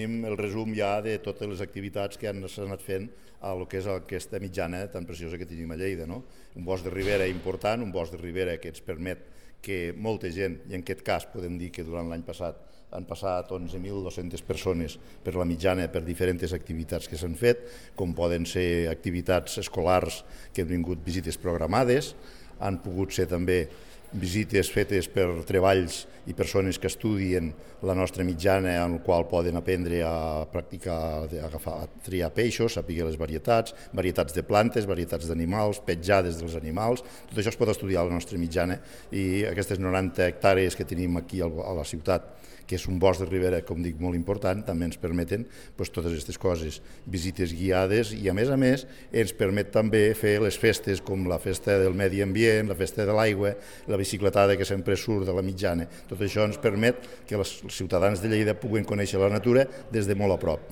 tenim el resum ja de totes les activitats que s'han anat fent a lo que és aquesta mitjana tan preciosa que tenim a Lleida. No? Un bosc de ribera important, un bosc de ribera que ens permet que molta gent, i en aquest cas podem dir que durant l'any passat han passat 11.200 persones per la mitjana per diferents activitats que s'han fet, com poden ser activitats escolars que han vingut visites programades, han pogut ser també visites fetes per treballs i persones que estudien la nostra mitjana en el qual poden aprendre a practicar, a triar peixos, saber les varietats de plantes, varietats d'animals, petjades dels animals, tot això es pot estudiar a la nostra mitjana i aquestes 90 hectàrees que tenim aquí a la ciutat, que és un bosc de ribera, com dic, molt important, també ens permeten totes aquestes coses, visites guiades i a més ens permet també fer les festes com la festa del medi ambient, la festa de l'aigua, la bicicletada que sempre surt de la mitjana. Tot això ens permet que els ciutadans de Lleida puguin conèixer la natura des de molt a prop.